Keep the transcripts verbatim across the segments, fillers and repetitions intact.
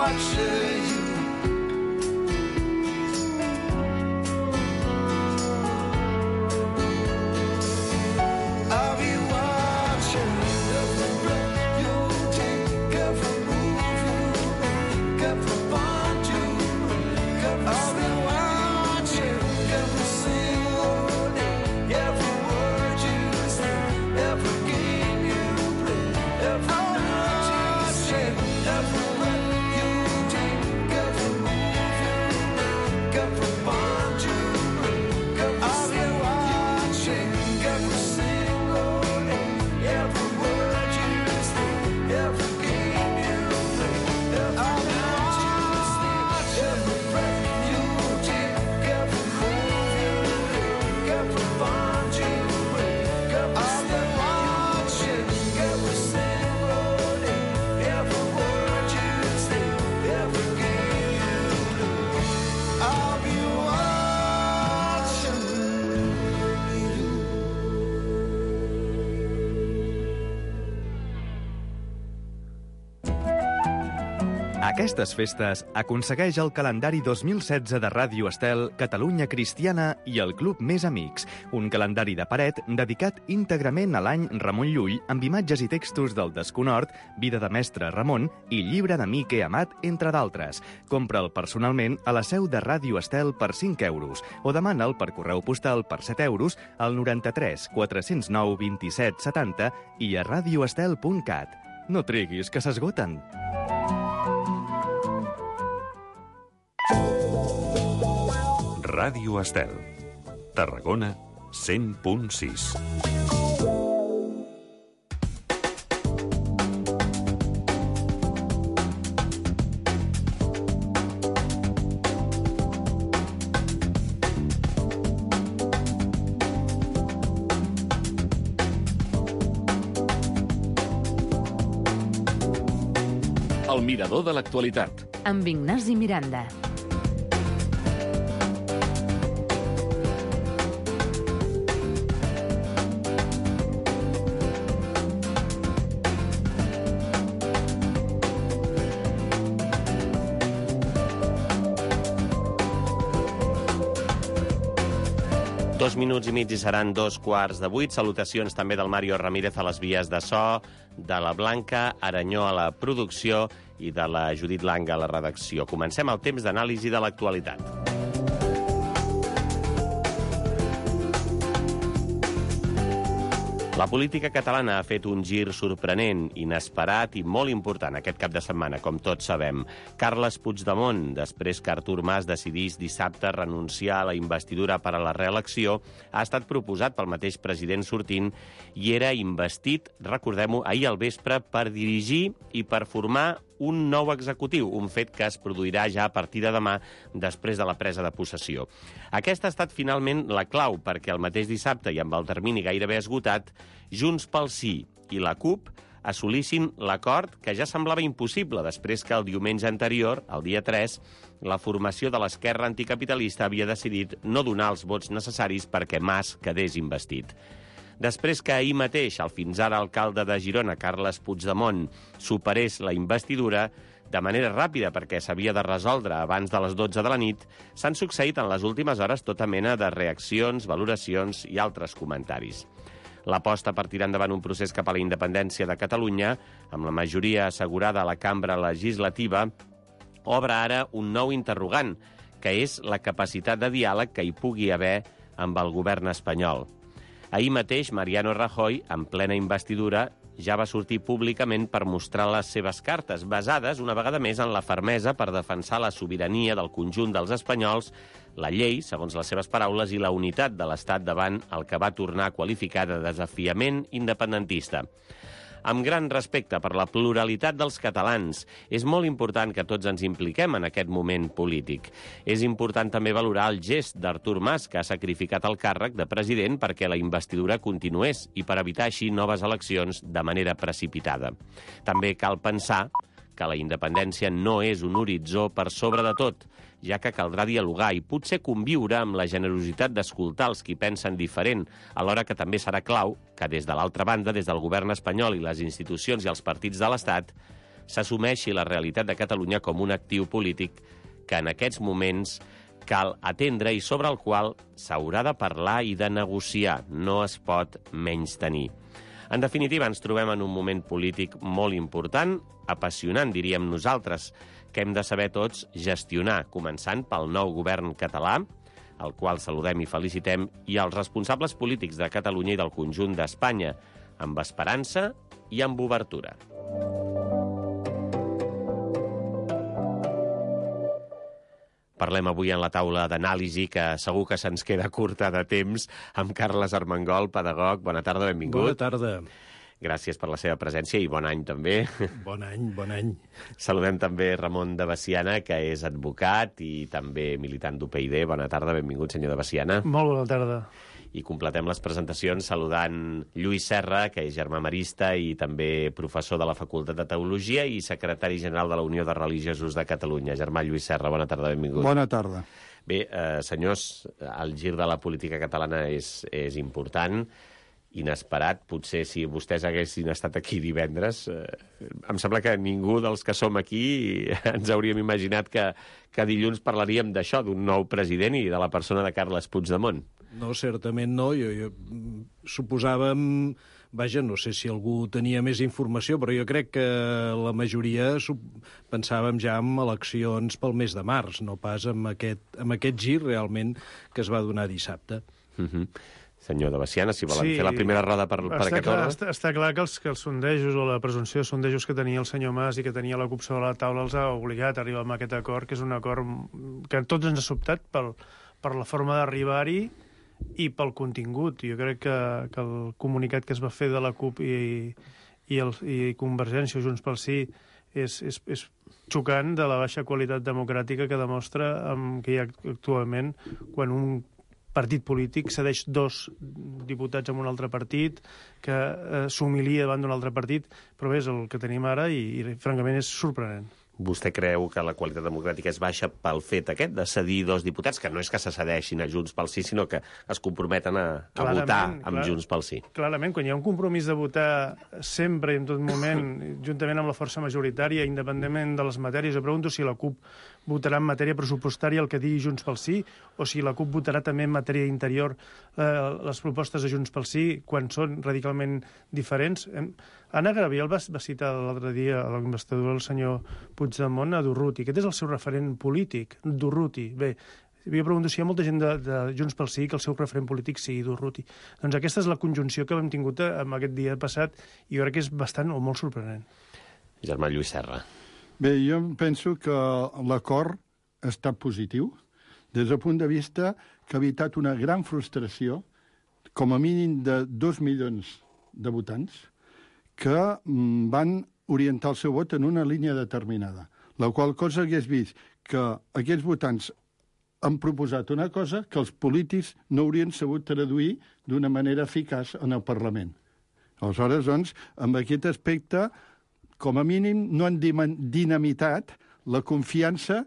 much of you. I'll be watching every breath you take, every move you make, every bond you break. I'll be watching every single day, every word you say, every game you play, every night you say, every breath you take, every move you make, every bond you break. I'll be watching every single day, every word you say, every game you play, every night you sleep, every breath you take, every move you make, every bond you break. I'll be watching every single day, every word you say, every game you play. I'll be watching you. Aquestes festes aconsegueix el calendari dos mil setze de Ràdio Estel, Catalunya Cristiana i el Club Més Amics, un calendari de paret dedicat íntegrament a l'any Ramon Llull amb imatges i textos del Desconhort, Vida de mestre Ramon i Llibre d'amic he amat, entre d'altres. Compra'l personalment a la seu de Ràdio Estel per cinc euros o demana'l per correu postal per set euros al noranta-tres quatre-cents nou vint-i-set setanta i a radioestel punt cat. No triguis, que s'esgoten. Ràdio Estel, Tarragona, cent punt sis. El mirador de l'actualitat. Amb Ignasi Miranda. Dos minuts i mig i seran dos quarts de vuit. Salutacions també del Mario Ramírez a les vies de so, de la Blanca Aranyó a la producció i de la Judit Langa a la redacció. Comencem el temps d'anàlisi de l'actualitat. La política catalana ha fet un gir sorprenent, inesperat i molt important aquest cap de setmana, com tots sabem. Carles Puigdemont, després que Artur Mas decidís dissabte renunciar a la investidura per a la reelecció, ha estat proposat pel mateix president sortint i era investit, recordem-ho, ahir al vespre per dirigir i per formar un nou executiu, un fet que es produirà ja a partir de demà després de la presa de possessió. Aquesta ha estat finalment la clau perquè el mateix dissabte i amb el termini gairebé esgotat, Junts pel Sí i la CUP assolissin l'acord que ja semblava impossible després que el diumenge anterior, el dia tres, la formació de l'esquerra anticapitalista havia decidit no donar els vots necessaris perquè Mas quedés investit. Després que ahir mateix el fins ara alcalde de Girona, Carles Puigdemont, superés la investidura de manera ràpida perquè s'havia de resoldre abans de les dotze de la nit, s'han succeït en les últimes hores tota mena de reaccions, valoracions i altres comentaris. L'aposta per tirar endavant un procés cap a la independència de Catalunya, amb la majoria assegurada a la cambra legislativa, obre ara un nou interrogant, que és la capacitat de diàleg que hi pugui haver amb el govern espanyol. Ahir mateix, Mariano Rajoy, en plena investidura, ja va sortir públicament per mostrar les seves cartes, basades una vegada més en la fermesa per defensar la sobirania del conjunt dels espanyols, la llei, segons les seves paraules, i la unitat de l'Estat davant el que va tornar a qualificar de desafiament independentista. Amb gran respecte per la pluralitat dels catalans, és molt important que tots ens impliquem en aquest moment polític. És important també valorar el gest d'Artur Mas, que ha sacrificat el càrrec de president perquè la investidura continués i per evitar així noves eleccions de manera precipitada. També cal pensar que la independència no és un horitzó per sobre de tot, ja que caldrà dialogar i potser conviure amb la generositat d'escoltar els qui pensen diferent, alhora que també serà clau que des de l'altra banda, des del govern espanyol i les institucions i els partits de l'Estat, s'assumeixi la realitat de Catalunya com un actiu polític que en aquests moments cal atendre i sobre el qual s'haurà de parlar i de negociar. No es pot menystenir. En definitiva, ens trobem en un moment polític molt important, apassionant, diríem nosaltres, que hem de saber tots gestionar, començant pel nou govern català, el qual saludem i felicitem, i els responsables polítics de Catalunya i del conjunt d'Espanya, amb esperança i amb obertura. Parlem avui en la taula d'anàlisi, que segur que se'ns queda curta de temps, amb Carles Armengol, pedagog. Bona tarda, benvingut. Bona tarda. Gràcies per la seva presència i bon any també. Bon any, bon any. Saludem també Ramon de Veciana, que és advocat i també militant d'U P y D. Bona tarda, benvingut, senyor de Veciana. Molt bona tarda. I completem les presentacions saludant Lluís Serra, que és germà marista i també professor de la Facultat de Teologia i secretari general de la Unió de Religiosos de Catalunya. Germà Lluís Serra, bona tarda, benvingut. Bona tarda. Bé, eh, senyors, el gir de la política catalana és, és important, inesperat. Potser si vostès haguessin estat aquí divendres, eh, em sembla que ningú dels que som aquí ens hauríem imaginat que, que dilluns parlaríem d'això, d'un nou president i de la persona de Carles Puigdemont. No, certament no. Jo, jo suposàvem... Vaja, no sé si algú tenia més informació, però jo crec que la majoria pensàvem ja en eleccions pel mes de març, no pas amb aquest, amb aquest gir realment que es va donar dissabte. Uh-huh. Senyor de Veciana, si volen Sí, fer la primera roda per, per està aquest clar, ordre. està, està clar que els, que els sondejos o la presumpció de sondejos que tenia el senyor Mas i que tenia la CUP sobre la taula els ha obligat a arribar a aquest acord, que és un acord que tots ens ha sobtat pel, per la forma d'arribar-hi i pel contingut. Jo crec que, que el comunicat que es va fer de la CUP i, i, el, i Convergència o Junts pel Sí és, és, és xocant de la baixa qualitat democràtica que demostra um, que hi ha actualment quan un partit polític cedeix dos diputats a un altre partit, que eh, s'humilia davant d'un altre partit, però bé, és el que tenim ara i, i francament és sorprenent. Vostè creu que la qualitat democràtica és baixa pel fet aquest de cedir dos diputats, que no és que se cedeixin a Junts pel Sí, sinó que es comprometen a, a Clarament, votar amb clar, Junts pel Sí? Clarament, quan hi ha un compromís de votar sempre i en tot moment, juntament amb la força majoritària, independentment de les matèries, jo pregunto si la CUP votarà en matèria pressupostària el que digui Junts pel Sí, o si la CUP votarà també en matèria interior eh, les propostes de Junts pel Sí, quan són radicalment diferents. Anna Gabriel va, va citar l'altre dia a l'investidura del senyor Puigdemont a Durruti. Aquest és el seu referent polític, Durruti. Bé, jo pregunto si hi ha molta gent de, de Junts pel Sí que el seu referent polític sigui Durruti. Doncs aquesta és la conjunció que hem tingut en aquest dia passat i jo crec que és bastant o molt sorprenent. Germà Lluís Serra. Bé, jo penso que l'acord ha estat positiu des del punt de vista que ha evitat una gran frustració, com a mínim de dos milions de votants, que van orientar el seu vot en una línia determinada. La qual cosa hagués vist que aquests votants han proposat una cosa que els polítics no haurien sabut traduir d'una manera eficaç en el Parlament. Aleshores, doncs, amb aquest aspecte, com a mínim, no han dinamitat la confiança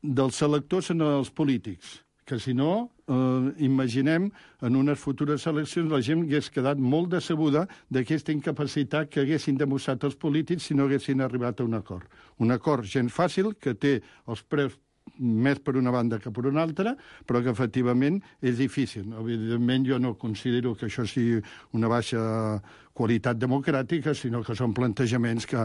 dels electors en els polítics, que si no, eh, imaginem, en unes futures eleccions la gent hagués quedat molt decebuda d'aquesta incapacitat que haguessin demostrat els polítics si no haguessin arribat a un acord. Un acord gens fàcil, que té els preus més per una banda que per una altra, però que efectivament és difícil. Evidentment jo no considero que això sigui una baixa qualitat democràtica, sinó que són plantejaments que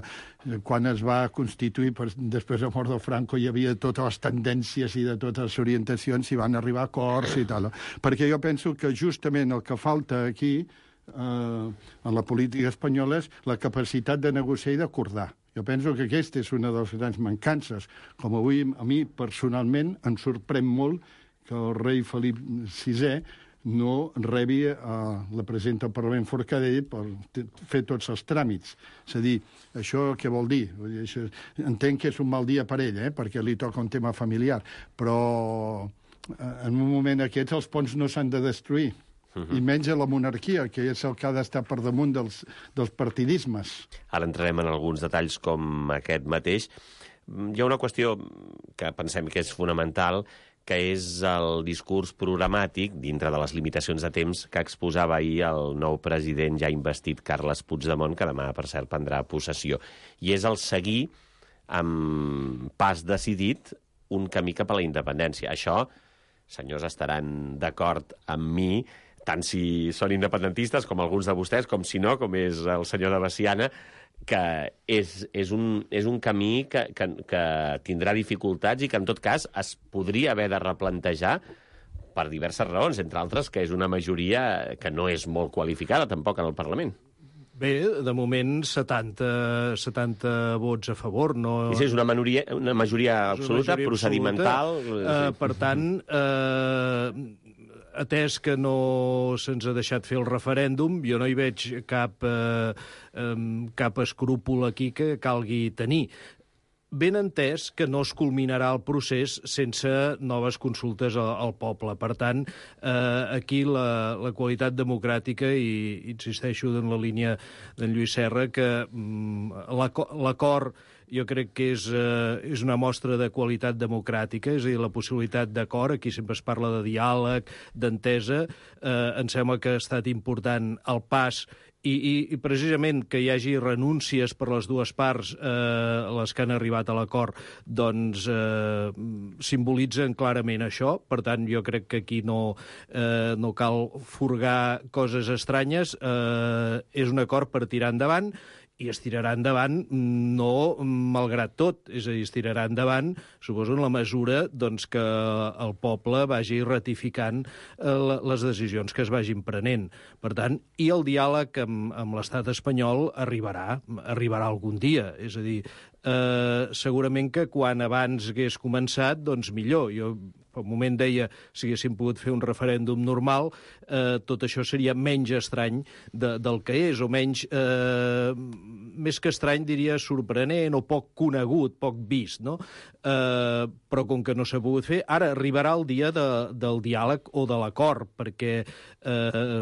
quan es va constituir després de mort de Franco hi havia totes les tendències i de totes les orientacions i van arribar a acords i tal. Perquè jo penso que justament el que falta aquí eh, en la política espanyola és la capacitat de negociar i d'acordar. Jo penso que aquesta és una de les grans mancances. Com avui, a mi, personalment, em sorprèn molt que el rei Felip sisè no rebi a la presidenta del Parlament Forcadell per fer tots els tràmits. És a dir, això què vol dir? Vull dir, això, entenc que és un mal dia per ell, eh, perquè li toca un tema familiar, però en un moment aquests els ponts no s'han de destruir. Uh-huh. I menys a la monarquia, que és el que ha d'estar per damunt dels, dels partidismes. Ara entrarem en alguns detalls com aquest mateix. Hi ha una qüestió que pensem que és fonamental, que és el discurs programàtic, dintre de les limitacions de temps, que exposava ahir el nou president ja investit, Carles Puigdemont, que demà, per cert, prendrà possessió. I és el seguir, amb pas decidit, un camí cap a la independència. Això, senyors, estaran d'acord amb mi, tant si són independentistes, com alguns de vostès, com si no, com és el senyor de Veciana, que és, és, un, és un camí que, que, que tindrà dificultats i que, en tot cas, es podria haver de replantejar per diverses raons, entre altres, que és una majoria que no és molt qualificada, tampoc, en el Parlament. Bé, de moment, setanta, setanta vots a favor. No... I sí, és una, minoria, una majoria absoluta, majoria procedimental... Absoluta. Uh, per tant... Uh... atès que no se'ns ha deixat fer el referèndum, jo no hi veig cap, eh, cap escrúpol aquí que calgui tenir. Ben entès que no es culminarà el procés sense noves consultes al, al poble. Per tant, eh, aquí la, la qualitat democràtica, i insisteixo en la línia d'en Lluís Serra, que mm, l'acord jo crec que és, eh, és una mostra de qualitat democràtica, és a dir, la possibilitat d'acord, aquí sempre es parla de diàleg, d'entesa, eh, em sembla que ha estat important el pas I, i, i precisament que hi hagi renúncies per les dues parts, eh, les que han arribat a l'acord, doncs eh, simbolitzen clarament això. Per tant, jo crec que aquí no, eh, no cal furgar coses estranyes. Eh, és un acord per tirar endavant, i es tirarà endavant no malgrat tot, és a dir, es tirarà endavant, suposo, en la mesura doncs, que el poble vagi ratificant eh, les decisions que es vagin prenent. Per tant, i el diàleg amb, amb l'estat espanyol arribarà, arribarà algun dia. És a dir, eh, segurament que quan abans hagués començat, doncs millor. Jo per un moment deia, si haguéssim pogut fer un referèndum normal, eh, tot això seria menys estrany de, del que és, o menys, eh, més que estrany, diria sorprenent o poc conegut, poc vist, no? Eh, però com que no s'ha pogut fer, ara arribarà el dia de, del diàleg o de l'acord, perquè... Eh,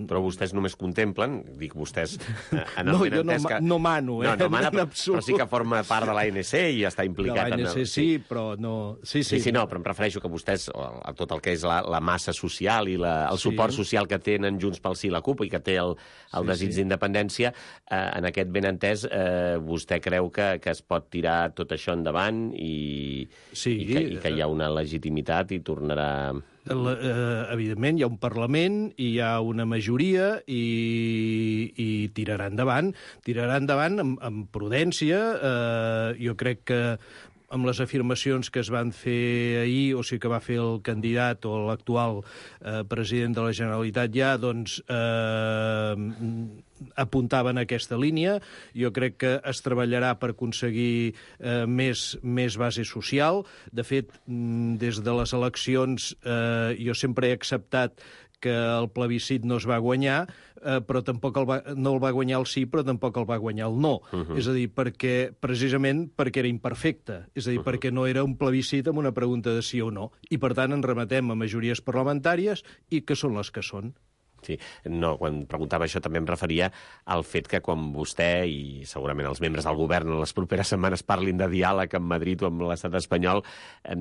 però vostès només contemplen, dic vostès... Eh, en no, jo no, que... no mano, eh? No, no mana, en però, però sí que forma part de l'A N C i està implicat... De l'A N C en el... sí, però no... Sí, sí, sí, sí, no, però em refereixo que vostès, a tot el que és la, la massa social i la, el suport sí. social que tenen Junts pel Sí i la CUP i que té el, el sí, desig sí. d'independència, eh, en aquest ben entès, eh, vostè creu que, que es pot tirar tot això endavant i, sí. i, que, i que hi ha una legitimitat i tornarà... La, eh, evidentment, hi ha un Parlament, hi ha una majoria i, i tirarà endavant. Tirarà endavant amb, amb prudència. Eh, jo crec que amb les afirmacions que es van fer ahir, o sigui que va fer el candidat o l'actual eh, president de la Generalitat ja, doncs eh, apuntaven a aquesta línia. Jo crec que es treballarà per aconseguir eh, més, més base social. De fet, des de les eleccions eh, jo sempre he acceptat que el plebiscit no es va guanyar, eh, però tampoc el va, no el va guanyar el sí, però tampoc el va guanyar el no. Uh -huh. És a dir, perquè, precisament perquè era imperfecte. És a dir, uh -huh. perquè no era un plebiscit amb una pregunta de sí o no. I, per tant, ens remetem a majories parlamentàries i que són les que són. Sí, no, quan preguntava això també em referia al fet que quan vostè i segurament els membres del govern en les properes setmanes parlin de diàleg amb Madrid o amb l'estat espanyol, eh,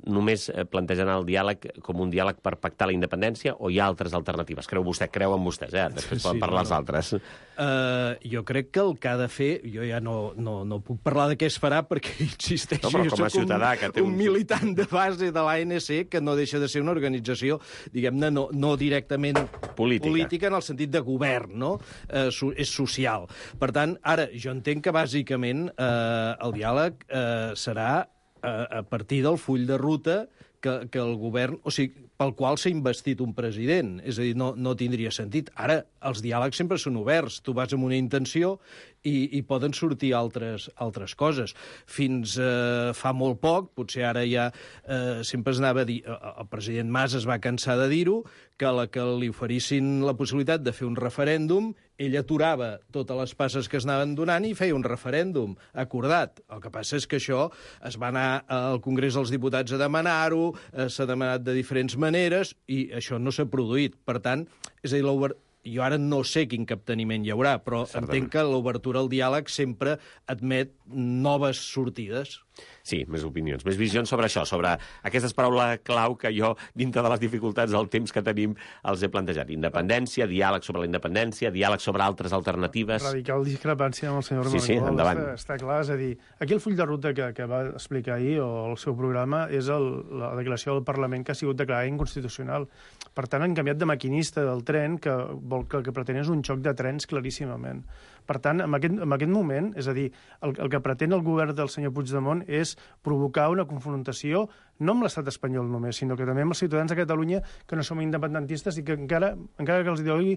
només plantegen el diàleg com un diàleg per pactar la independència o hi ha altres alternatives? Creu vostè, creu en vostès, eh? Després poden sí, parlar no, els altres. Uh, jo crec que el que ha de fer, jo ja no, no, no puc parlar de què es farà perquè, insisteixo, no, jo soc un, que té un... un militant de base de l'A N C que no deixa de ser una organització, diguem-ne, no, no directament política. política en el sentit de govern, no? Eh, so, és social. Per tant, ara, jo entenc que bàsicament eh, el diàleg eh, serà eh, a partir del full de ruta que, que el govern... O sigui, pel qual s'ha investit un president. És a dir, no, no tindria sentit. Ara, els diàlegs sempre són oberts. Tu vas amb una intenció i, i poden sortir altres, altres coses. Fins eh, fa molt poc, potser ara ja eh, sempre es anava a dir... El president Mas es va cansar de dir-ho, que a la que li oferissin la possibilitat de fer un referèndum, ell aturava totes les passes que es anaven donant i feia un referèndum acordat. El que passa és que això es va anar al Congrés dels Diputats a demanar-ho, eh, s'ha demanat de diferents maneres i això no s'ha produït. Per tant, és a dir, jo ara no sé quin capteniment hi haurà, però Certament. entenc que l'obertura al diàleg sempre admet noves sortides. Sí, més opinions, més visions sobre això, sobre aquestes paraules clau que jo, dintre de les dificultats del temps que tenim, els he plantejat. Independència, diàleg sobre la independència, diàleg sobre altres alternatives... Radical discrepància amb el senyor Sí, sí, Armengol, endavant. Està, està clar, és a dir, aquí el full de ruta que, que va explicar ahir, o el seu programa, és el, la declaració del Parlament que ha sigut declarada inconstitucional. Per tant, han canviat de maquinista del tren, que, vol, que el que pretén és un xoc de trens claríssimament. Per tant, en aquest, en aquest moment, és a dir, el, el que pretén el govern del senyor Puigdemont és provocar una confrontació no amb l'estat espanyol només, sinó que també amb els ciutadans de Catalunya que no som independentistes i que encara, encara que els digui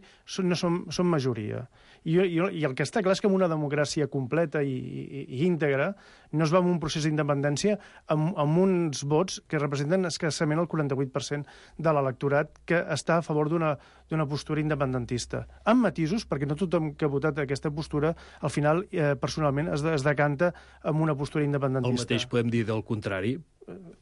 no som, som majoria. I, i, I el que està clar és que en una democràcia completa i, i, i íntegra no es va en un procés d'independència amb, amb uns vots que representen escassament el quaranta-vuit per cent de l'electorat que està a favor d'una d'una postura independentista. Amb matisos, perquè no tothom que ha votat aquesta postura, al final, eh, personalment, es, de, es decanta amb una postura independentista. El mateix podem dir del contrari.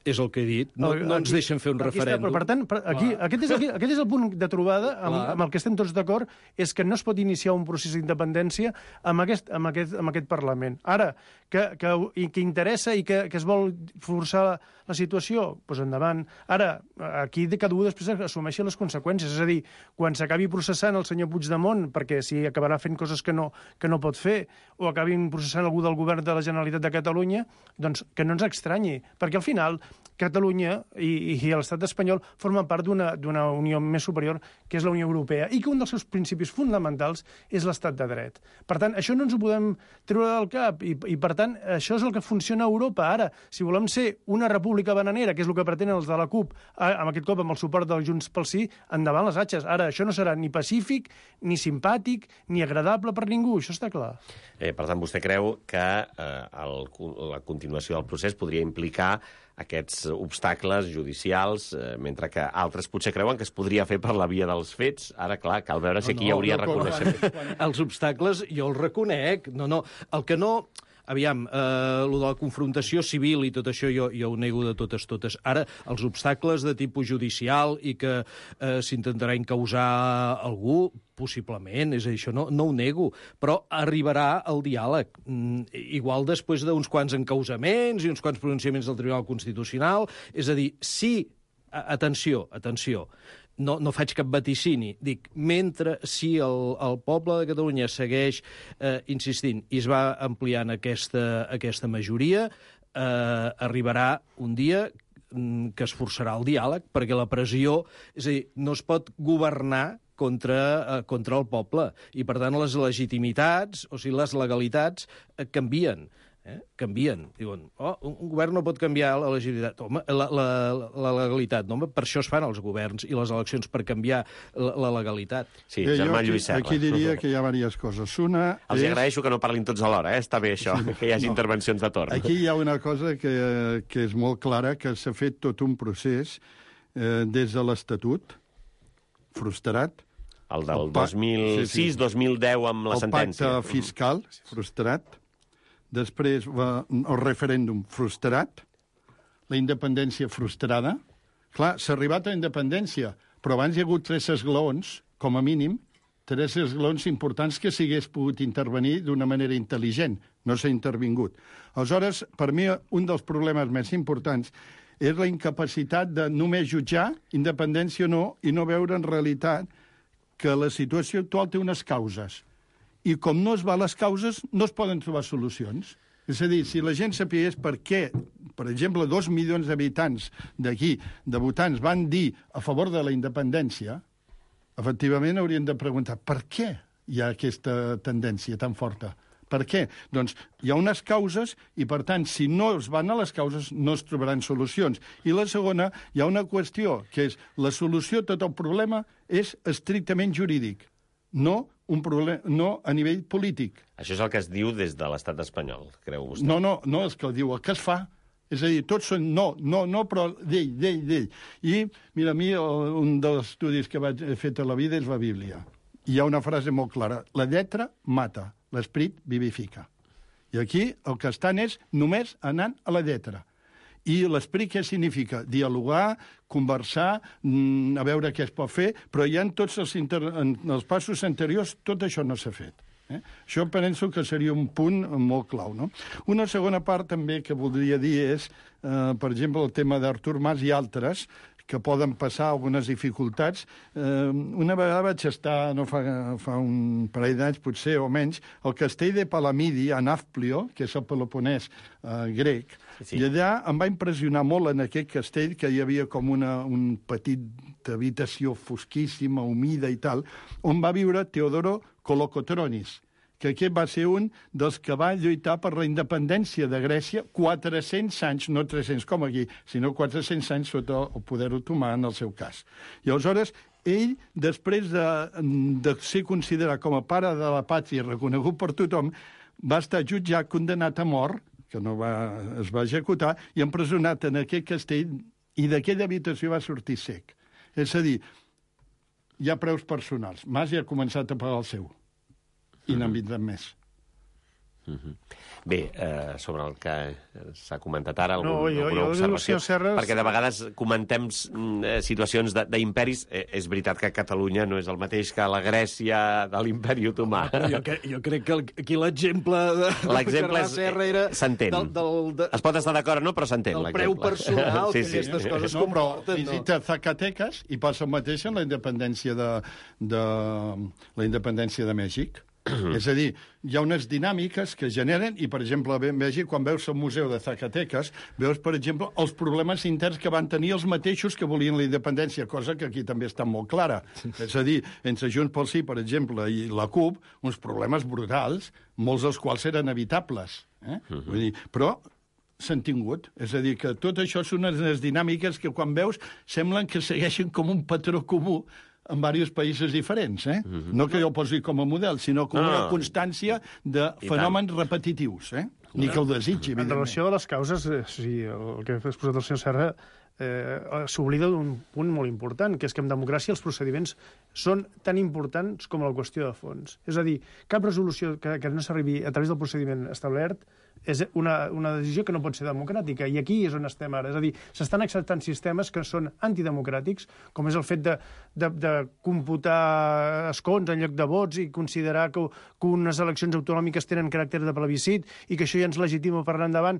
És el que he dit. No, no ens deixen fer un aquí referèndum. Està, però, per tant, per, aquí, aquest, és, aquí, aquest és el punt de trobada amb, amb el que estem tots d'acord, és que no es pot iniciar un procés d'independència amb aquest, amb, aquest, amb aquest Parlament. Ara, que, que, i que interessa i que, que es vol forçar la, la situació, doncs endavant. Ara, aquí de cada un després assumeixi les conseqüències. És a dir, quan s'acabi processant el senyor Puigdemont, perquè si acabarà fent coses que no, que no pot fer, o acabin processant algú del govern de la Generalitat de Catalunya, doncs que no ens estranyi, perquè al final Catalunya i, i l'estat espanyol formen part d'una unió més superior, que és la Unió Europea, i que un dels seus principis fonamentals és l'estat de dret. Per tant, això no ens ho podem treure del cap, i, i per tant, això és el que funciona a Europa. Ara, si volem ser una república bananera, que és el que pretenen els de la CUP, amb aquest cop amb el suport del Junts pel Sí, endavant les atxes. Ara, això no serà ni pacífic, ni simpàtic, ni agradable per ningú, això està clar. Eh, per tant, vostè creu que eh, el, la continuació del procés podria implicar aquests obstacles judicials, eh, mentre que altres potser creuen que es podria fer per la via dels fets. Ara, clar, cal veure si aquí no, no, hi hauria no, reconeixement. Els obstacles jo els reconec. No, no. El que no... Aviam, eh, lo de la confrontació civil i tot això jo, jo ho nego de totes totes. Ara, els obstacles de tipus judicial i que eh, s'intentarà encausar algú, possiblement, és a dir, això no, no ho nego, però arribarà el diàleg. Mm, igual després d'uns quants encausaments i uns quants pronunciaments del Tribunal Constitucional. És a dir, sí, atenció, atenció, no, no faig cap vaticini. Dic, mentre si el, el poble de Catalunya segueix eh, insistint i es va ampliant aquesta, aquesta majoria, eh, arribarà un dia que es forçarà el diàleg, perquè la pressió... És a dir, no es pot governar contra, eh, contra el poble, i per tant les legitimitats, o sigui, les legalitats, eh, canvien. Eh? Canvien. Diuen, oh, un govern no pot canviar la legitimitat. Home, la, la, la legalitat, no? Home, per això es fan els governs i les eleccions, per canviar la, la legalitat. Sí, eh, Germà Lluís Serra. Aquí diria que hi ha diverses coses. Una Els és... agraeixo que no parlin tots alhora, eh? Està bé això, sí, que hi hagi no. intervencions de torn. Aquí hi ha una cosa que, que és molt clara, que s'ha fet tot un procés eh, des de l'Estatut, frustrat. El del dos mil sis dos mil deu amb la el sentència. El pacte fiscal, frustrat. Després va, el referèndum frustrat, la independència frustrada. Clar, s'ha arribat a la independència, però abans hi ha hagut tres esglaons, com a mínim, tres esglaons importants que s'hagués pogut intervenir d'una manera intel·ligent. No s'ha intervingut. Aleshores, per mi, un dels problemes més importants és la incapacitat de només jutjar, independència o no, i no veure en realitat que la situació actual té unes causes. I com no es va a les causes, no es poden trobar solucions. És a dir, si la gent sapigués per què, per exemple, dos milions d'habitants d'aquí, de votants, van dir a favor de la independència, efectivament haurien de preguntar per què hi ha aquesta tendència tan forta. Per què? Doncs hi ha unes causes i, per tant, si no es van a les causes, no es trobaran solucions. I la segona, hi ha una qüestió, que és la solució a tot el problema és estrictament jurídic, no un problema, no a nivell polític. Això és el que es diu des de l'estat espanyol, creu vostè? No, no, no és que el diu, el que es fa. És a dir, tots són no, no, no, però d'ell, d'ell, d'ell. I, mira, a mi un dels estudis que vaig fer a la vida és la Bíblia. Hi ha una frase molt clara. La lletra mata, l'esperit vivifica. I aquí el que estan és només anant a la lletra. I l'esperit què significa? Dialogar, conversar, a veure què es pot fer, però ja en tots els, inter... en els passos anteriors tot això no s'ha fet. Eh? Això penso que seria un punt molt clau. No? Una segona part també que voldria dir és, eh, per exemple, el tema d'Artur Mas i altres, que poden passar algunes dificultats. Eh, una vegada vaig estar, no fa, fa un parell d'anys, potser, o menys, al castell de Palamidi, a Nafplio, que és el Peloponès eh, grec, sí. I allà em va impressionar molt en aquest castell que hi havia com una un petit habitació fosquíssima, humida i tal, on va viure Teodoro Kolokotronis, que aquest va ser un dels que va lluitar per la independència de Grècia quatre-cents anys, no tres-cents com aquí, sinó quatre-cents anys sota el poder otomà en el seu cas. I aleshores, ell, després de, de ser considerat com a pare de la pàtria reconegut per tothom, va estar jutjat, condenat a mort, que no va, es va executar, i empresonat en aquest castell, i d'aquella habitació va sortir sec. És a dir, hi ha preus personals. Mas ja ha començat a pagar el seu. I n'han vindran més. Uh-huh. Bé, eh, sobre el que s'ha comentat ara, algun, no, jo, alguna jo, observació, Serres... perquè de vegades comentem eh, situacions d'imperis. Eh, és veritat que Catalunya no és el mateix que la Grècia de l'imperi otomà. Jo, que, jo crec que el, aquí l'exemple de l'exemple era... s'entén. De... Es pot estar d'acord, no? Però s'entén l'exemple. El preu personal sí, que sí. aquestes coses no, però comporten. visita no? Zacatecas i passa el mateix en la independència de, de, la independència de Mèxic. És a dir, hi ha unes dinàmiques que generen, i, per exemple, a Mèxic, quan veus el museu de Zacatecas, veus, per exemple, els problemes interns que van tenir els mateixos que volien la independència, cosa que aquí també està molt clara. És a dir, entre Junts pel Sí, per exemple, i la CUP, uns problemes brutals, molts dels quals eren evitables. Eh? Uh-huh. Vull dir, però s'han tingut. És a dir, que tot això són unes dinàmiques que, quan veus, semblen que segueixen com un patró comú en diversos països diferents, eh? Uh-huh. No que jo ho posi com a model, sinó com no, una constància de fenòmens repetitius, eh? Ni que ho desitgi, en relació a les causes, eh, sí, el que ha exposat el senyor Serra, eh, s'oblida d'un punt molt important, que és que en democràcia els procediments són tan importants com la qüestió de fons. És a dir, cap resolució que, que no s'arribi a través del procediment establert és una, una decisió que no pot ser democràtica, i aquí és on estem ara. És a dir, s'estan acceptant sistemes que són antidemocràtics, com és el fet de, de, de computar escons en lloc de vots i considerar que, que unes eleccions autonòmiques tenen caràcter de plebiscit i que això ja ens legitima per anar endavant.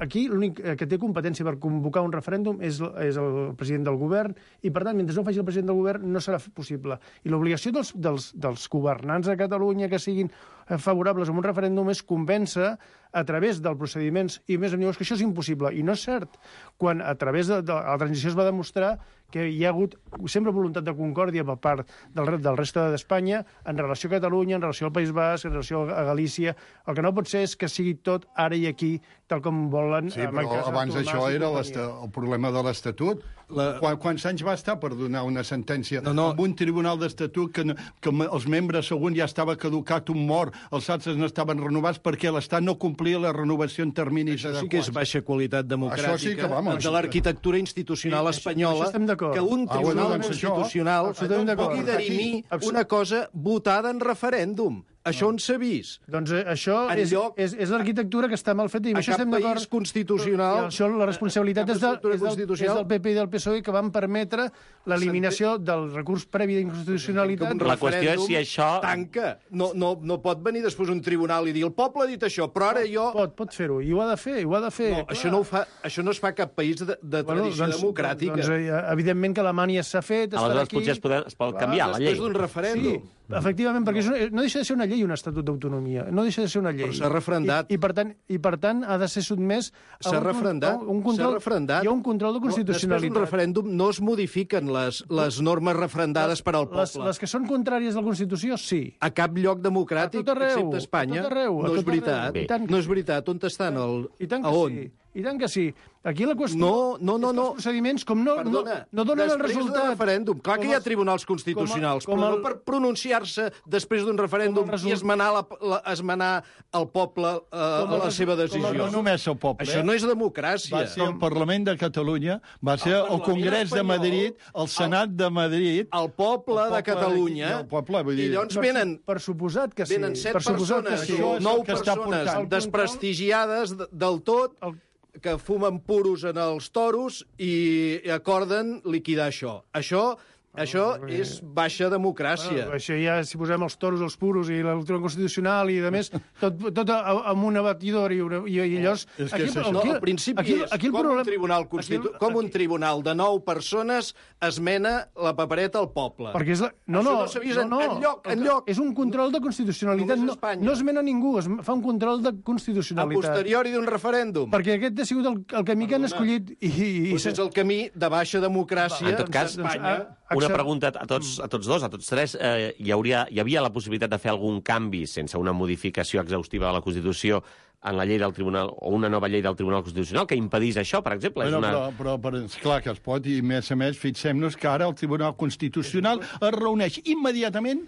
Aquí l'únic que té competència per convocar un referèndum és, és el president del govern, i, per tant, mentre no faci el president del govern, no serà possible. I l'obligació dels, dels, dels governants de Catalunya que siguin favorables a un referèndum és convèncer a través dels procediments, i més em dius que això és impossible. I no és cert, quan a través de, de la transició es va demostrar que hi ha hagut sempre voluntat de concòrdia per part del, del reste d'Espanya en relació a Catalunya, en relació al País Basc, en relació a Galícia. El que no pot ser és que sigui tot ara i aquí, tal com volen... Sí, però abans això era el problema de l'Estatut. La... Qu quants anys va estar per donar una sentència no, no. amb un tribunal d'Estatut que, no, que els membres, segons ja estava caducat un mort, els altres no estaven renovats perquè l'Estat no complia la renovació en terminis això adequats. Sí que és baixa qualitat democràtica això sí que, vamos, de l'arquitectura institucional sí, espanyola, que un tribunal ah, bueno, doncs constitucional pugui dirimir una cosa votada en referèndum. Això on s'ha vist? Doncs eh, això és, lloc... és, és l'arquitectura que està mal feta, i amb això estem d'acord. A cap país constitucional... Això, la responsabilitat és, de, és, del, és del P P i del P S O E, que van permetre l'eliminació del recurs previ d'inconstitucionalitat. La qüestió és si això... Tanca. No, no, no pot venir després un tribunal i dir el poble ha dit això, però ara jo... Pot, pot fer-ho, i ho ha de fer, i ho ha de fer. No, això no, ho fa, això no es fa a cap país de, de bueno, tradició doncs, democràtica. Doncs, evidentment que Alemanya s'ha fet, aleshores aquí... potser es, poder, es pot clar, canviar la llei. Després d'un referèndum. Sí. Efectivament, perquè és una, no deixa de ser una llei, un estatut d'autonomia. No deixa de ser una llei. Però s'ha referendat. I, i, per tant, I, per tant, ha de ser sotmès a s'ha un, referendat. un control... S'ha referendat. Hi ha un control de constitucionalitat. Després d'un referèndum no es modifiquen les, les normes referendades per al poble. Les, les que són contràries a la Constitució, sí. A cap lloc democràtic, a tot arreu, excepte Espanya. A tot arreu, no és veritat. No és veritat. On estan? El... I tant que a on? sí. I tant que sí. Aquí la qüestió no, no, no, és que no. els procediments, com no, Perdona, no, no donen el resultat... Després d'un referèndum, clar que hi ha tribunals constitucionals, com a, com però el, no per pronunciar-se després d'un referèndum result... i esmenar, la, la, esmenar el poble eh, a la seva decisió. No només el poble. Això no és democràcia. Va ser el Parlament de Catalunya, va ser el, el Congrés de Madrid, el Senat de Madrid... El poble, el poble de Catalunya. El poble, vull dir... I llavors venen... Per suposat que sí. Venen set per persones, sí. nou persones desprestigiades del tot... El que fumen puros en els toros i acorden liquidar això. Això Això és baixa democràcia. Ah, això ja, si posem els toros, els puros i el Tribunal Constitucional i, a més, tot, tot amb una batidora i, una, i, i llavors... És que aquí, és això. No, al principi aquí, és aquí el com, problema, un tribunal constitu... aquí, com un tribunal de nou persones esmena la papereta al poble. Perquè és la... No, Això no, no s'ha vist no, no, enlloc, el que- enlloc. És un control de constitucionalitat. Només a No, Espanya. no es mena ningú, es fa un control de A constitucionalitat. posteriori d'un referèndum. Perquè aquest ha sigut el, el camí que han escollit i... i, i Doncs és el camí de baixa democràcia En tot cas, a Espanya. a- Una Accept- pregunta a tots, a tots dos, a tots tres. Eh, hi, hauria, hi havia la possibilitat de fer algun canvi sense una modificació exhaustiva de la Constitució en la llei del Tribunal, o una nova llei del Tribunal Constitucional que impedís això, per exemple? Bueno, és una... però, però, però és clar que es pot, i a més a més, fixem-nos que ara el Tribunal Constitucional es reuneix immediatament,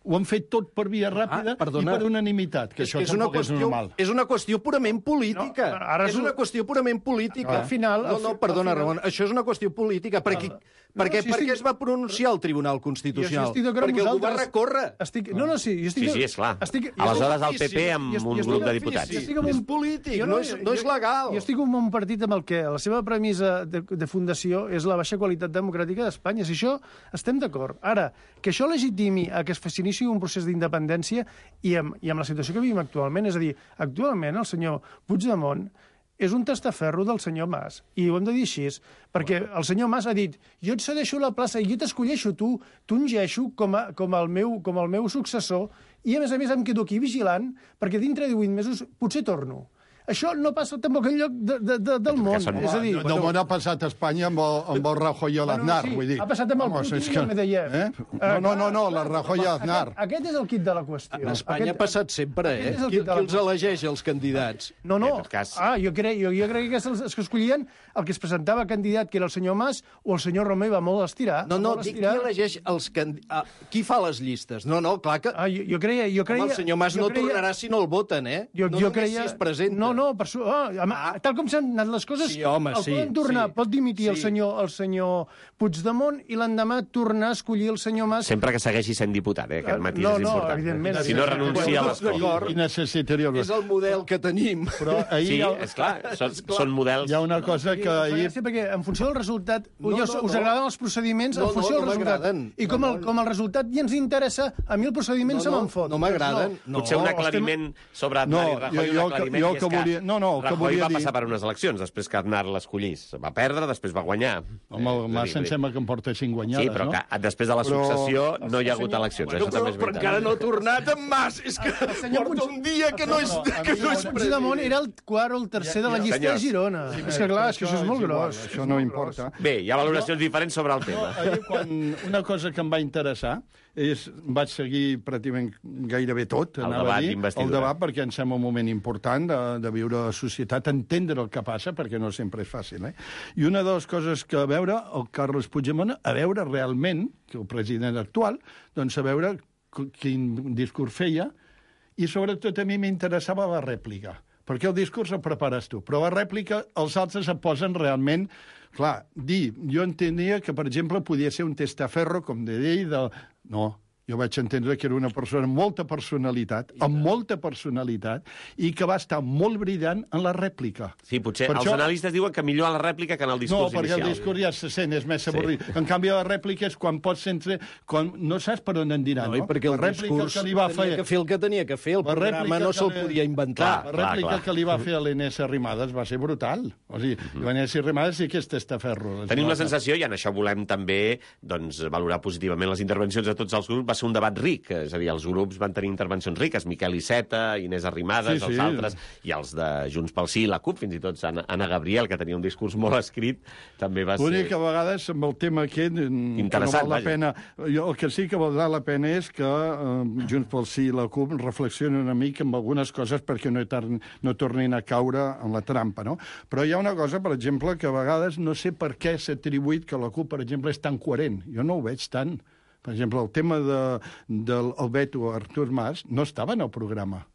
ho han fet tot per via ràpida Ah, perdona. i per unanimitat, que És, això que és, una tampoc és qüestió, normal. és una qüestió purament política. No, ara és és un- una qüestió purament política. Al final- No, no, al fi- perdona, al final- Ramon, això és una qüestió política. Perquè, No, perquè, sí, per estic- què es va pronunciar el Tribunal Jo Constitucional? estic d'acord amb Perquè algú va vosaltres. recórrer. Estic... No, no, sí. Jo estic... Sí, sí, és clar. Estic... Aleshores, el P P ofici, amb jo estic- un jo estic grup de ofici, diputats. jo estic amb És un- polític, Jo no és- no és legal. Jo estic amb un partit amb el que la seva premissa de, de fundació és la baixa qualitat democràtica d'Espanya. Si això estem d'acord. Ara, que això legitimi a que es s'iniciï un procés d'independència i amb, i amb la situació que vivim actualment, és a dir, actualment el senyor Puigdemont és un testaferro del senyor Mas, i ho hem de dir així, perquè el senyor Mas ha dit jo et cedeixo la plaça i jo t'escolleixo tu, t'ungeixo com, a, com, el meu, com el meu successor, i a més a més em quedo aquí vigilant, perquè dintre de divuit mesos potser torno. Això no passa tampoc enlloc de, de, de, del món. són- És a dir, No, no ha passat a Espanya amb el, amb el Rajoy i l'Aznar, sí, vull dir. ha passat amb el Vamos, Putin és i el Medvedev. Eh? No, no, no, no, la Rajoy i l'Aznar. Aquest, aquest és el kit de la qüestió. A Espanya ha passat sempre, eh? aquest és el Qui, que te la- qui els elegeix, els candidats? No, no. En tot cas- Ah, jo crec, jo, jo crec que els, els que escollien el que es presentava candidat, que era el senyor Mas, o el senyor Romeu va molt estirar. No, no, molt dic qui estirar. elegeix els candidats. Qui fa les llistes? No, no, clar que... Ah, jo, jo creia... Jo creia Home, el senyor Mas jo no creia, tornarà si no el voten, eh? Jo, no jo només creia... si es presenta. No, no, per su... ah, ah. Tal com s'han anat les coses, Sí, home, el sí, poden tornar, sí. pot dimitir el Sí. senyor el senyor Puigdemont i l'endemà tornar a escollir el senyor Mas. Sempre que segueixi sent diputat, eh? Aquest matís No, és no, important. evidentment, Si no evidentment. renuncia a Tots l'escó. d'acord. I necessitaria... És el model que tenim. Però ahir Sí, hi ha, és clar, són, són models... hi ha una cosa que ahir... Sí, perquè en funció del resultat, No, no, no, us, us no. agraden els procediments No, en funció no, del no resultat. m'agraden. I com, No, el, no. com el resultat ja ens interessa, a mi el procediment No, se no, me'n fot. no m'agraden. No. Potser un estem- aclariment sobre No, Aznar i Rajoy, jo- jo un aclariment, jo i és que volia- no, no, que Rajoy volia va dir- passar per unes eleccions després que Aznar l'escollís. Va perdre, després va guanyar. Home, el Mas em sembla que em porta cinc guanyades, Sí, però no? que després de la Però- successió no hi ha hagut eleccions. Bueno, Això també és però, però veritat. encara no ha tornat en Mas. És que senyor porta Puig- un dia que no és, No, no, a que mi no és no- Puigdemont era el quart o el tercer de la llista Senyors. de Girona. És que clar, és que això és molt igual, gros. Això no importa. Bé, hi ha valoracions diferents sobre el No, tema. ahir, quan una cosa que em va interessar és, vaig seguir pràcticament gairebé tot, El anava debat a dir, el d'investidura. debat, perquè em sembla un moment important de, de viure a la societat, entendre el que passa, perquè no sempre és fàcil. Eh? I una de les coses que a veure, el Carles Puigdemont, a veure realment, que el president actual, doncs a veure quin discurs feia, i sobretot a mi m'interessava la rèplica, perquè el discurs el prepares tu, però la rèplica els altres et posen realment... Clar, dir, jo entenia que, per exemple, podia ser un testaferro, com de ell, de... No, jo vaig entendre que era una persona amb molta personalitat, amb molta personalitat, i que va estar molt brillant en la rèplica. Sí, potser Per els això- analistes diuen que millor en la rèplica que en el No, discurs perquè inicial. el discurs ja se sent, és més avorrit. Sí. En canvi, la rèplica és quan pots entre... Quan no saps per on en diran, No, no? i perquè el la rèplica discurs que li va tenia fer... que fer el que tenia que fer. El La programa rèplica no que se'l li- podia inventar. La Clar, rèplica clar. que li va fer a l'Inés Arrimadas va ser brutal. O sigui, uh -huh. l'Inés Arrimadas sí que és testaferro. Tenim la sensació, i en això volem també doncs, valorar positivament les intervencions de tots els grups, va ser un debat ric, és a dir, els grups van tenir intervencions riques, Miquel Iceta, Inés Arrimadas, Sí, sí. els altres, i els de Junts pel Sí, la CUP, fins i tot Anna, Anna Gabriel, que tenia un discurs molt escrit, també va L'únic ser... que a vegades amb el tema aquest mm, Interessant, que no val la vaja. pena. Jo, el que sí que valdrà la pena és que eh, Junts pel Sí i la CUP reflexionin una mica amb algunes coses perquè no, tar- no tornin a caure en la trampa, no? Però hi ha una cosa, per exemple, que a vegades no sé per què s'ha atribuït que la CUP, per exemple, és tan coherent. Jo no ho veig tant. Per exemple, el tema de, del el veto a Artur Mas no estava en el programa.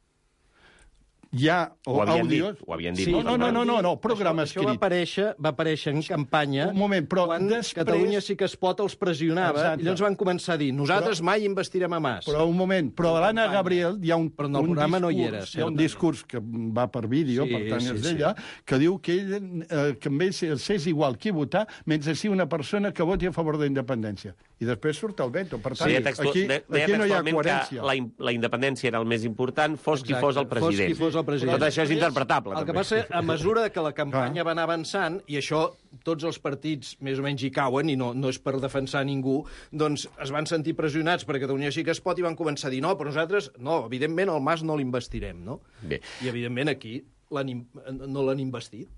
Hi ha Ho havien àudios... dit, ho havien dit. Sí, no, no, no, no, no, programa això, això va escrit. aparèixer, va aparèixer en campanya Un moment, però quan després- Catalunya sí que es pot els pressionava, Exacte. i llavors van començar a dir nosaltres Però- mai investirem a Mas. Però un moment, però a l'Anna Gabriel hi ha un, Però en el un programa discurs, no hi era, hi ha un certament. discurs que va per vídeo, Sí, per tant sí, és sí. d'ella, que diu que ell, eh, que amb ell és igual qui votar, mentre sigui una persona que voti a favor de la independència. I després surt el veto. Per tant, Deia, textu... aquí, de- deia aquí no hi ha textualment coherència. que la, in- la independència era el més important, fos qui Exacte, fos el president. Fos qui fos el president. Tot això és interpretable, El que també. passa, a mesura que la campanya Ah. va anar avançant, i això tots els partits més o menys hi cauen, i no, no és per defensar ningú, doncs es van sentir pressionats per Catalunya sí que es pot i van començar a dir no, però nosaltres, no, evidentment el Mas no l'investirem, no? Bé. I evidentment aquí l'han im- no l'han investit.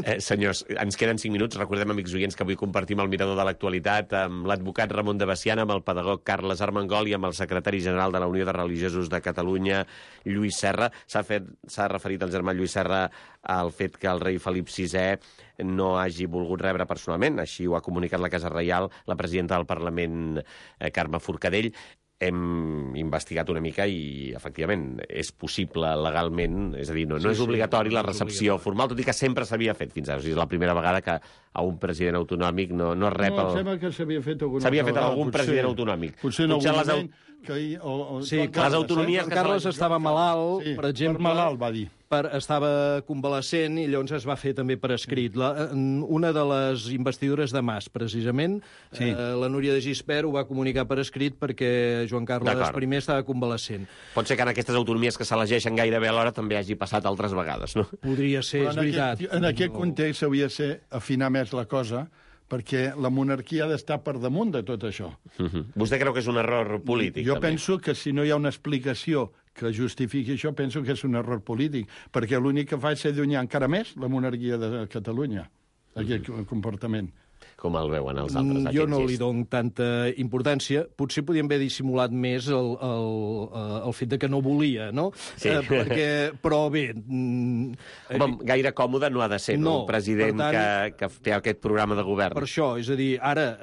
Eh, senyors, ens queden cinc minuts. Recordem, amics oients, que avui compartim el mirador de l'actualitat amb l'advocat Ramon de Bessiana, amb el pedagog Carles Armengol i amb el secretari general de la Unió de Religiosos de Catalunya, Lluís Serra. S'ha fet, s'ha referit el germà Lluís Serra al fet que el rei Felip sisè no hagi volgut rebre personalment. Així ho ha comunicat la Casa Reial, la presidenta del Parlament, eh, Carme Forcadell. Hem investigat una mica i, efectivament, és possible legalment, és a dir, no, no Sí, és sí, obligatori la no és recepció obligatori. formal, tot i que sempre s'havia fet fins ara. O sigui, és la primera vegada que a un president autonòmic no, no es rep No, em el... sembla que s'havia fet alguna S'havia altra fet vegada, algun potser. president autonòmic. Potser en Potser algun les au- moment que hi, o, o, Sí, Joan clar, les Carles, autonomies Joan que Carles se- estava malalt, Sí, per exemple, per malalt, va dir. Per, estava convalescent i llavors es va fer també per escrit. La, en una de les investidures de Mas, precisament, Sí. eh, la Núria de Gispert ho va comunicar per escrit perquè Joan Carles D'acord. I estava convalescent. Pot ser que en aquestes autonomies que s'elegeixen gairebé alhora també hagi passat altres vegades, no? Podria ser, Però és en veritat. aquest, en aquest context hauria de ser afinar més la cosa, perquè la monarquia ha d'estar per damunt de tot això. Uh -huh. Vostè creu que és un error polític, Jo també? penso que si no hi ha una explicació que justifiqui això, penso que és un error polític, perquè l'únic que fa és allunyar encara més la monarquia de Catalunya, aquest Mm-hmm. comportament. Com el veuen els altres, Mm, aquest Jo no li gest? dono tanta importància. Potser podíem haver dissimulat més el, el, eh, el fet de que no volia, no? Sí. Eh, perquè, però bé... mm, Home, gaire còmode no ha de ser, no? No, Un president per tant- que, que té aquest programa de govern. Per això, és a dir, ara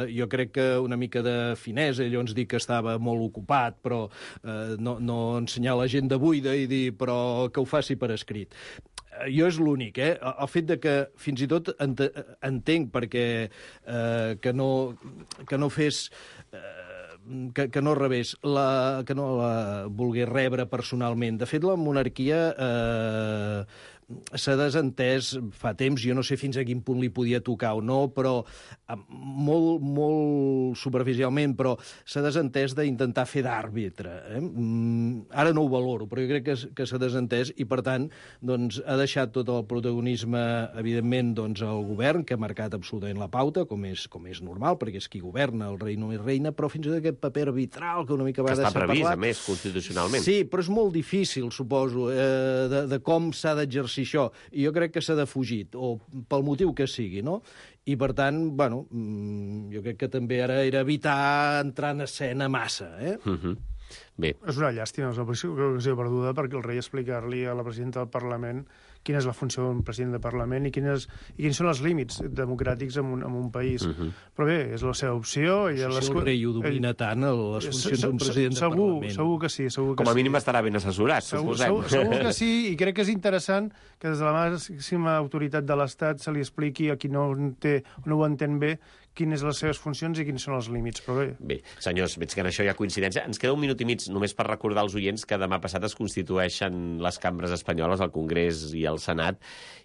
eh, jo crec que una mica de finesa, ell ens dir que estava molt ocupat, però eh, no, no ensenyar l'agenda buida i dir però que ho faci per escrit. Eh, Jo és l'únic, eh? El fet de que fins i tot ent entenc perquè eh, que, no, que no fes... Eh, que, que no rebés, la, que no la volgués rebre personalment. De fet, la monarquia eh, s'ha desentès fa temps, jo no sé fins a quin punt li podia tocar o no, però eh, molt, molt superficialment, però s'ha desentès d'intentar fer d'àrbitre. Eh? Mm, ara no ho valoro, però jo crec que, s- que s'ha desentès i, per tant, doncs, ha deixat tot el protagonisme, evidentment, doncs, al govern, que ha marcat absolutament la pauta, com és, com és normal, perquè és qui governa, el rei no és reina, però fins i tot aquest paper arbitral que una mica va Que està deixar previst, parlar. a més, constitucionalment. Sí, però és molt difícil, suposo, eh, de, de com s'ha d'exercir això. I jo crec que s'ha defugit, o pel motiu que sigui, no? I, per tant, bueno, mm, jo crec que també ara era evitar entrar en escena massa, eh? Uh -huh. Bé, És una llàstima, és una ocasió perduda perquè el rei explicar-li a la presidenta del Parlament quina és la funció d'un president de Parlament i quines, i quins són els límits democràtics en un, en un país. Uh -huh. Però bé, és la seva opció. I No sé si el rei ho domina tant, el- les funcions d'un president de segur, Parlament. Segur que sí. Segur que com a sí. mínim estarà ben assessorat, Segur, suposem. segur, segur que sí, i crec que és interessant que des de la màxima autoritat de l'Estat se li expliqui a qui no, té, no ho entén bé quines les seves funcions i quins són els límits, però bé. Bé, senyors, veig que en això hi ha coincidència. Ens queda un minut i mig només per recordar als oients que demà passat es constitueixen les cambres espanyoles, el Congrés i el Senat,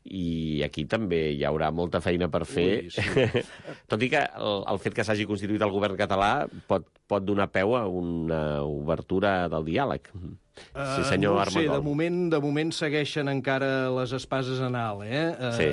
i aquí també hi haurà molta feina per fer. Ui, sí. Tot i que el, el fet que s'hagi constituït el govern català pot, pot donar peu a una obertura del diàleg. Sí, senyor Uh, no sé, de Armengol. moment, de moment segueixen encara les espases en alt, eh? Sí.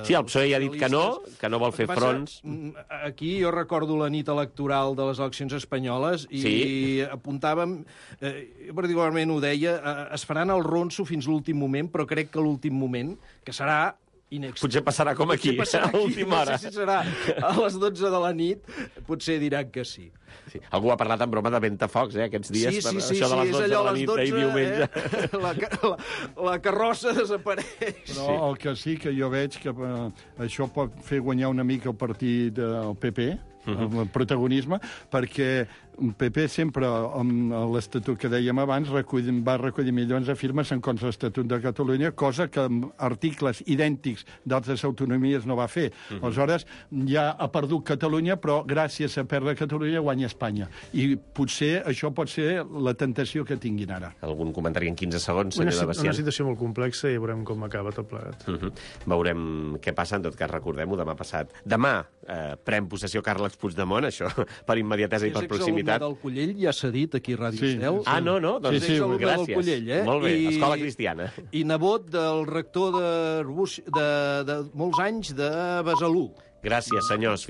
Sí, el P S O E ja ha dit que no, que no vol fer El que passa, fronts. mm, Aquí jo recordo la nit electoral de les eleccions espanyoles i Sí. apuntàvem, eh, jo particularment ho deia, eh, es faran el ronso fins l'últim moment, però crec que l'últim moment, que serà inexplicable. Potser passarà com aquí, Potser passarà a última hora. No sé si serà a les dotze de la nit, potser diran que sí. Sí. Algú ha parlat en broma de ventafocs, eh, aquests dies, Sí, sí, per sí, això de sí, les és dotze de allò a la les nit dotze, d'ahir diumenge. eh? la, ca- la, la carrossa desapareix. Però el que sí que jo veig que eh, això pot fer guanyar una mica el partit del P P, uh-huh. el protagonisme, perquè el P P sempre, amb l'Estatut que dèiem abans, recull, va recollir milions de firmes en contra de l'Estatut de Catalunya, cosa que amb articles idèntics d'altres autonomies no va fer. Uh-huh. Aleshores, ja ha perdut Catalunya, però gràcies a perdre Catalunya guanya Espanya. I potser això pot ser la tentació que tinguin ara. Algun comentari en quinze segons, Una, senyor de Bacian? una situació molt complexa i veurem com acaba tot plegat. Uh-huh. Veurem què passa, en tot cas recordem-ho, demà passat. Demà eh, pren possessió Carles Puigdemont, això per immediatesa i per proximitat. del Collell, ja s'ha dit aquí a Ràdio Sí. Estel. Ah, no, no? Doncs Sí, sí, Exalumne gràcies. del Collell, eh? Molt bé, I- escola cristiana. I nebot del rector de, Arbúcies- de, de molts anys de Besalú. Gràcies, senyors.